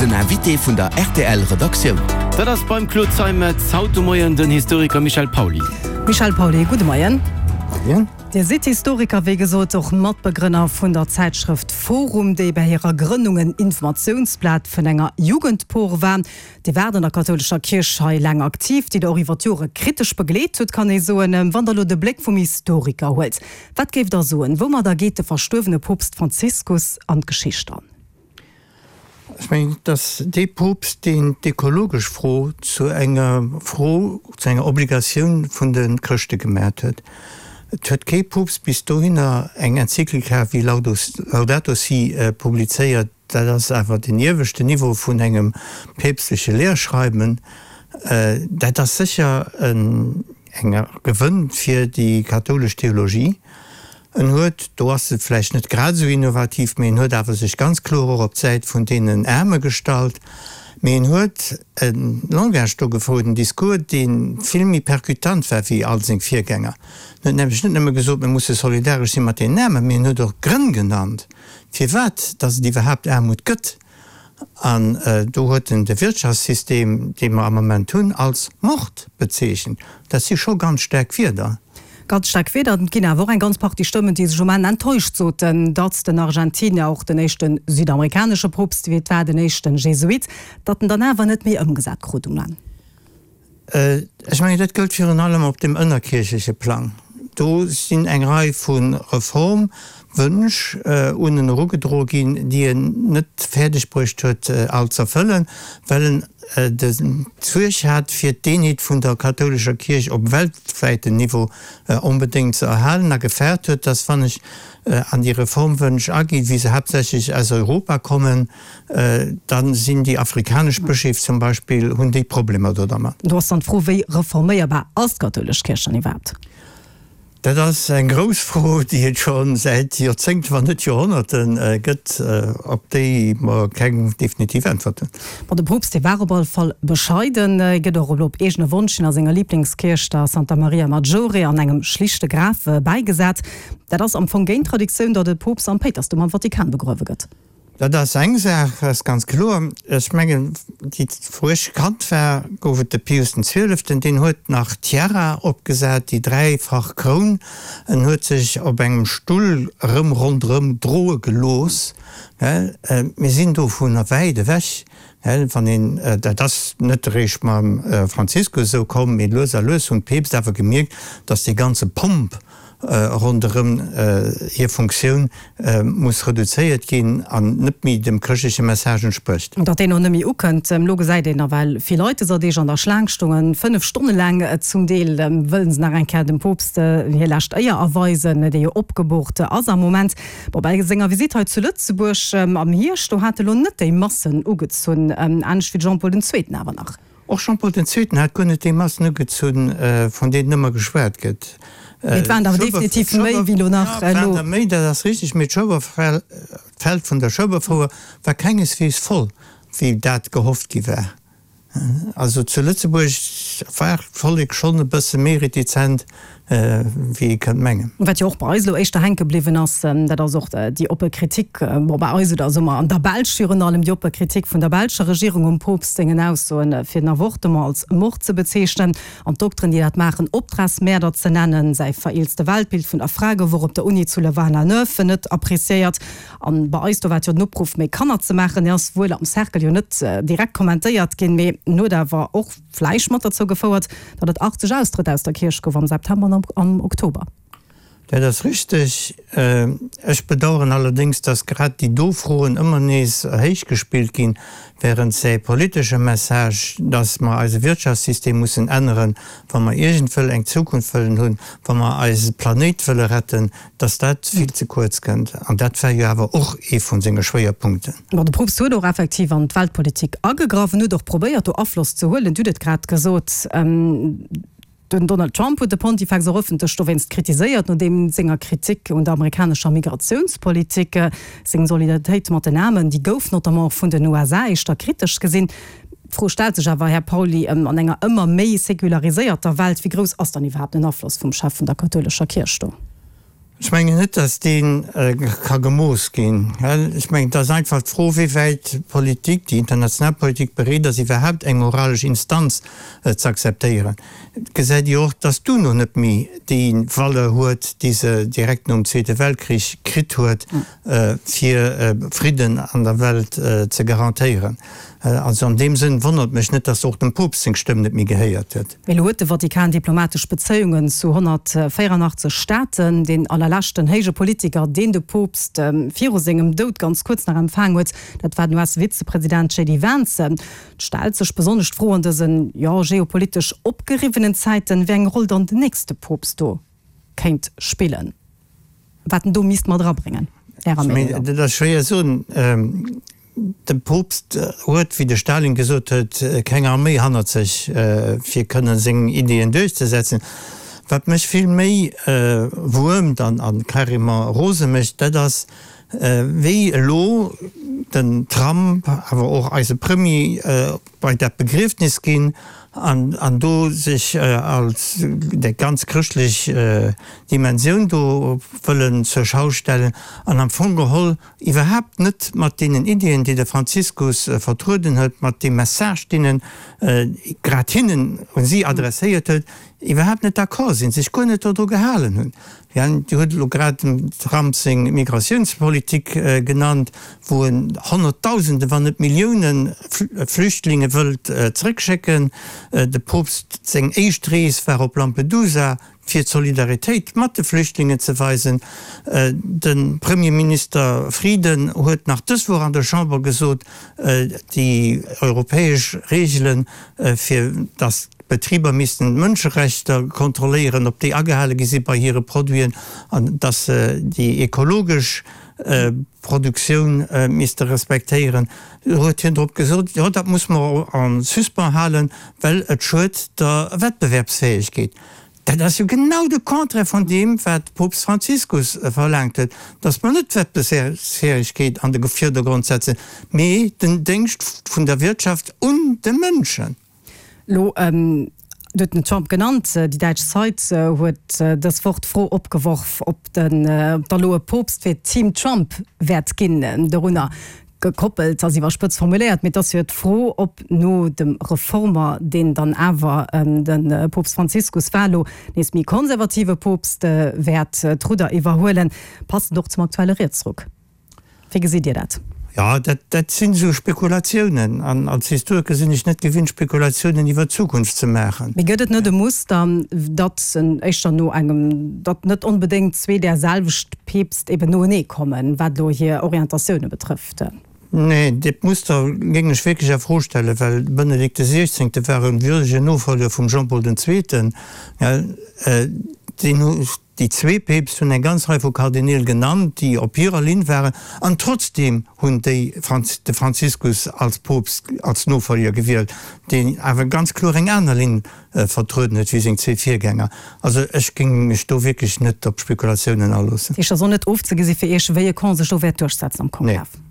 Den Invité vun der rtl Redaktioun. Dat ass beim Claude Zeimetz haut de Moien den Historiker Michel Pauly. Michel Pauly, gudde Moien. Moien. Dir sidd Historiker, wéi gesot och Matbegrënner vun der Zäitschrëft Forum, déi bei hirer Grënnung en Informatiounsblat vun enger Jugendpor war. Dir waart an der kathoulescher Kierch hei laang aktiv, déi Der och iwwer d'Jore kritesch begleet hutt, kann ee soen. Wann Der elo de Bléck vum Historiker huelt, wat géift Der soen, woumadder geet de verstuerwene Poopst Franziskus an d'Geschicht an? Ech mengen, et ass dee Poopst, deen d'ökologesch Fro zu enger Fro, zu enger Obligatioun vun de Chrëschte gemaacht huet. Et huet kee Poopst bis dohinner eng Enzyklika wéi Laudato Si publizéiert. Dat ass awer den ieweschten Niveau vun engem päpstleche Lehrschreiben. Dat ass sécher en Gewënn fir déi kathoulesch Theologie. En huet, do ass e vläicht net grad esou innovativ, mee en huet awer sech ganz kloer och op d'Säit vun deenen Aarme gestallt. Mee en huet e Langage do gefouert, en Discours, dee vill méi percutant war wéi all seng Virgänger. En huet nämlech net nëmme gesot, mir musse solidaresch si mat deenen Aarmen, mee en huet och Grënn genannt, firwat datt et iwwerhaapt Aarmut gëtt. An do huet en de Wirtschaftssystem, dee mer am Moment hunn, als Mord bezeechent. Dat si scho ganz staark Wierder. Ganz staark Wierder. Et ginn awer och eng ganz Partie Stëmmen, déi sech um Enn enttäuscht soten, datt den Argentinier, och den éischte südamerikanesche Poopst, wéi et war, den éischte Jesuit, datt en dann awer net méi ëmgesat krut um Enn. Ech mengen, dat gëllt virun allem op dem ënnerkierchleche Plang. Do sinn eng Rei vu Reformwënsch un en erugedroe ginn, déi en net fäerdeg bruecht huet all z'erfëllen, well en d'Suerg hat, fir d'Eenheet vun der kathoulescher Kierch op weltwäitem Niveau onbedéngt ze erhalen a gefaart huet, dass, wann ech an déi Reformwënsch aginn, wéi se haaptsächlech aus Europa kommen, Dann sinn déi afrikanesch Bëscheef zum Beispill, hunn déi Problemer do dermat. Do ass dann d'Fro, wéi reforméierbar ass d'kathoulesch Kierch dann iwwerhaapt? Dat ass eng grouss Fro, déi et scho säit Joerzéngten, wann net Joerhonnerte gëtt, op déi mer keng definitiv Äntwert hunn. Bon, de Poopst, dee war op alle Fall bescheiden. Hie gëtt och elo op eegene Wonsch hin a senger Liblingskierch, der Santa Maria Maggiore, an engem schlichte Graf bäigesat. Dat ass am Fong géint d'Traditioun, datt e Poopst am Péitersdoum am Vatikan begruewe gëtt. Dat ass eng Saach, dat ass ganz kloer. Ech mengen, déi, wou ech Kand war, gouf et de Pius den Zwieleften, deen huet nach d'Tiara opgesat, déi dräifach Kroun. En huet sech op engem Stull erëm ronderëm droe gelooss. Mir sinn dovunner wäit ewech. Wann een, dat ass net eréischt mam Franziskus esou komm, mee lues a lues hunn d'Peepst awer gemierkt, datt dee ganze Pomp, ronderëm hir Funktioun muss reduzéiert ginn an net méi dem chrëschtleche Message entsprécht. Datt deen och net méi ukënnt. Elo gesäit een nawell vill Leit dëser Deeg an der Schlaang stoungen, 5 Stonne laang zum Deel. Wëllen se nach eng Kéier dem Poopst hir lescht Éier erweisen, dee jo opgeboort ass am Moment. Bon, bei senger Visitt hei zu Lëtzebuerg am Hierscht, do hat e lo net déi Massen ugezunn, anescht wéi de Jean Paul den Zweeten awer nach. Och Jean Paul den Zweeten hat guer net déi Massen ugezunn, vun deenen ëmmer geschwat gëtt. Mee et waren der definitiv méi wéi elo nach elo. Et waren der méi, dat ass richteg, mee d'Feld vun der Schueberfouer war kengesweegs voll, wéi dat gehofft gi war. Also zu Lëtzebuerg war d'Vollek schonn e bësse méi retizent, wéi ee kënnt mengen. Wat jo och bei eis elo éischter hänke bliwwen ass, dat ass och déi oppe Kritik, bon, bei eis oder soe mer an der Belsch virun allem, déi oppe Kritik vun der belscher Regierung um Poopst sengen Aussoen, fir den Avortement als Mord ze bezeechnen an d'Dokteren, déi dat maachen, Optragsmäerder ze nennen. Säi vereelzte Weltbild vun der Fra gouf och op der Uni zu Louvain-la-Neuve net appréciéiert. An bei eis, do war et jo den Opruff, méi Kanner ze maachen. Dee ass wuel am Cercle jo net direkt kommentéiert ginn, mee en huet awer och vläicht mat derzou gefouert, datt et 80 Austrëtt aus der Kierch gouf am September an am Oktober. Dat ass richteg. Ech bedauern allerdéngs, datt grad déi do Froen ëmmer nees héichgespillt ginn, während säi politesche Message, datt mer eise Wirtschaftssystem mussen änneren, wa mer iergendwëll eng Zukunft wëllen hunn, wa mer eise Planéit wëlle retten, datt dat vill ze kuerz kënnt. An dat war jo awer och ee vu senge Schwéierpunkten. Bon, de Poopst huet och effektiv an d'Weltpolitik agegraff en huet och probéiert, do Afloss ze huelen. Dir hutt et grad gesot, den Donald Trump huet de Pontifex och ëffentlech dowéinst kritiséiert, nodeem senger Kritik un der amerikanescher Migratiounspolitik. Seng Solidaritéit mat den Aarmen, déi gouf notamment och vun den USA éischter kritesch gesinn. D'Fro stellt sech awer, Här Pauly, an enger ëmmer méi seculariséierter Welt, wéi grouss ass dann iwwerhaapt den Afloss vum Chef vun der kathoulescher Kierch do? Ech mengen net, datt dee ka gemooss ginn. Ech mengen, et ass einfach d'Fro, wéi wäit d'Politik, déi international Politik bereet ass, iwwerhaapt eng moralesch Instanz ze akzeptéieren. Et gesäit ee jo och, datt d'UNO net méi déi Valeur huet, déi se direkt nom Zweete Weltkrich kritt huet, fir Fridden an der Welt ze garantéieren. Also an deem Sënn wonnert mech net, datt och dem Poopst seng Stëmm net méi gehéiert gëtt. Mee elo huet de Vatikan diplomatesch Bezéiungen zu 184 Staaten. Deen allerleschten héije Politiker, deen de Poopst viru sengem Doud ganz kuerz nach empfaang huet, dat war den US-Vizepresident JD Vance. Et stellt sech besonnesch d'Fro an dësen, jo, geopolitesch opgeriwwenen Zäiten, wéi eng Roll dann den nächste Poopst do kéint spillen, wat en do misst mat erabréngen, Ärer Meenung no. Dat ass schwéier soen. De Poopst huet, wéi de Stalin gesot huet, keng Arméi hannert sech, fir kënnen seng Ideeën duerchzesetzen. Wat mech vill méi wuermt an carrément rose mécht, dat ass, wéi elo den Trump, awer och eise Premier bei dat Begriefnis ginn an do sech als déi ganz chrëschtlech Dimensioun do wëllen zur Schau stellen an am Fong geholl iwwerhaapt net mat deenen Iddien, déi de Franziskus vertrueden huet, mat deem Message, deen en grad hinnen, un si adresséiert huet, iwwerhaapt net d'accord sinn, sech guer net dodru gehalen hunn. Dir hutt elo grad dem Trump seng Migratiounspolitik genannt, wou en Honnertdausende, wann net Millioune Flüchtlinge wëllt zréckschécken. De Poopst seng éischt Rees war op Lampedusa. fir d'Solidaritéit mat de Flüchtlingen ze weisen. De Premierminister Frieden huet nach dës Woch an der Chamber gesot, déi europäesch Reegelen, fir datt d'Betriber missten d'Mënscherechter kontrolléieren, ob déi agehale gi si bei hire Produiten, an datt se déi ekologesch Produktioun misste respektéieren, huet hien drop gesot, jo dat muss mer en suspens halen, well et schued der Wettbewerbsfäegkeet. Dat ass jo genau de Contraire vun deem, wat Poopst Franziskus verlaangt huet, dass mer net d'Wettbewerbsfäegkeet an de Virdergrond setzen, mee den Déngscht vun der Wirtschaft un de Mënschen. Elo, Dir hutt den Trump genannt, déi däitsch Zeit huet dës Woch d'Fro opgeworf, ob den, ob da elo e Poopst fir Team Trump wäert ginn. Dorunner Gekoppelt ass iwwerspëtzt formuléiert, mee et ass jo d'Fro, ob no dem Reformer, deen dann awer de Poopst Franziskus war, elo nees méi konservative Poopst wäert d'Rudder iwwerhuelen. Passend och zum aktuelle Rietsruck. Wéi gesitt Dir dat? Jo, dat sinn esou Spekulatiounen. An als Historiker sinn ech net gewinnt, Spekulatiounen iwwer d'Zukunft ze maachen. Mee gëtt et net e Muster, datt éischter no engem, datt net onbedéngt zwee där selwecht Peepst eben noenee kommen, wat elo hir Orientatioune betrëfft? Nee, dat Muster géing ech wierklech a Fro stellen, well de Benedikt de Siechzéngte war e würdegen Nofolger vum Jean-Paul den Zweeten. Deen hu, déi zwee Peepst hunn eng ganz Rei vu Kardineel genannt, déi op hirer Linn waren, an trotzdeem hunn déi de Franziskus als Poopst, als Nofolger gewielt, deen awer ganz kloer eng aner Linn vertrueden huet wéi seng zwee Virgänger. Also ech géing mech do wierklech net op Spekulatiounen aloossen. Dat heescht, et ass och net ofzegesi fir Iech, wéi e Camp sech do wäert duerchsetzen am Konklav? Nee.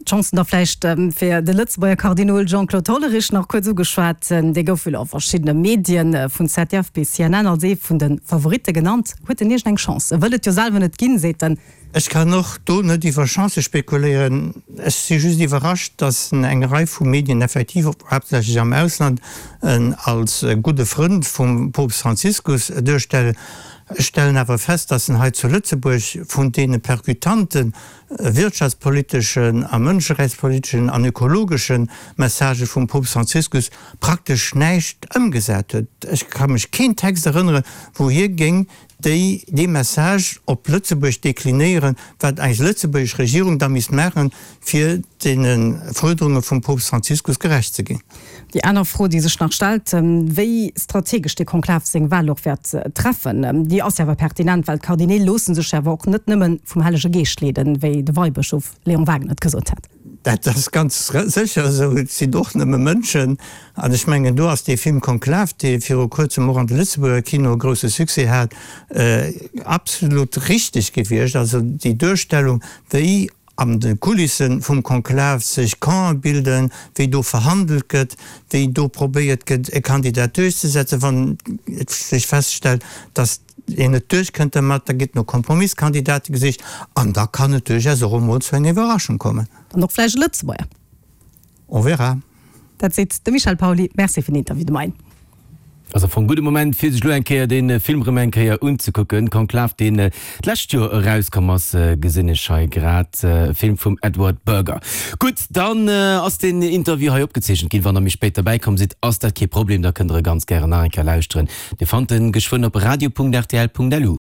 D'Chancen da vläicht fir de Lëtzebuerger Kardinol Jean-Claude Hollerich nach kuerz ugeschwat. Dee gouf jo a verschiddene Medien, vun ZDF bis CNN, als ee vun de Favoritte genannt. Huet en iergend eng Chance? E wëll et jo selwer net ginn, seet en. Ech kann och do net iwwer Chancë spekuléieren. Ech si just iwwerrascht, datt en eng Rei vu Medien effektiv, haaptsächlech am Ausland, en als gudde Frënd vum Poopst Franziskus duerstellen. Ech stellen awer fest, datt en hei zu Lëtzebuerg vun deene perkutante wirtschaftspoliteschen a mënscherechtspoliteschen an ökologesche Messagë vum Poopst Franziskus praktesch näischt ëmgesat huet. Ech ka mech keen Text erënneren, wou hie géing déi dee Message op Lëtzebuerg deklinéieren, wat eis lëtzebuergesch Regierung da misst maachen, fir deene Fuerderunge vum Poopst Franziskus gerecht ze ginn. Déi aner Fro, déi sech nach stellt, wéi strategesch dee Konklav seng Wahl och wäert treffen, déi ass jo awer pertinent, well d'Kardineel loosse sech jo awer och net nëmme vum Hellege Geescht leeden, wéi de Weibëschof Léon Wagener et gesot hat. Dat ass ganz sécher esou. Et sinn och nëmme Mënschen. An ech mengen, do ass dee Film Konklav, dee viru kuerzem och an de Lëtzebuerger Kinoe grousse Succès hat, absolut richteg gewiescht. Also déi Duerstellung, wéi an de Kulisse vum Konklav sech Campe bilden, wéi do verhandelt gëtt, wéi do probéiert gëtt, e Kandidat duerchzesetzen, wann et sech feststellt, datt. een net duerchkënnt dermat, da gëtt no Kompromissskandidate gesicht an da kann et duerchaus och emol zu enger Iwwerraschung kommen. An och vläicht e Lëtzebuerger. On verra. Dat seet de Michel Pauly. Merci fir den Interview de Moien. Ass am Fong gudde Moment fir sech lo eng Kéier dee Film rëm eng Kéier unzekucken. Conclave, deen d'lescht Joer erauskomm ass, gesinn ech hei grad. E Film vum Edward Berger. Gutt, dann ass deen Interview hei opgezeechent ginn. Wann der méi spéit derbäi komm sidd, ass dat kee Problem, da kënnt der e ganz gären nach eng Kéier lauschteren. Dir fannt en geschwënn op radio.rtl.lu.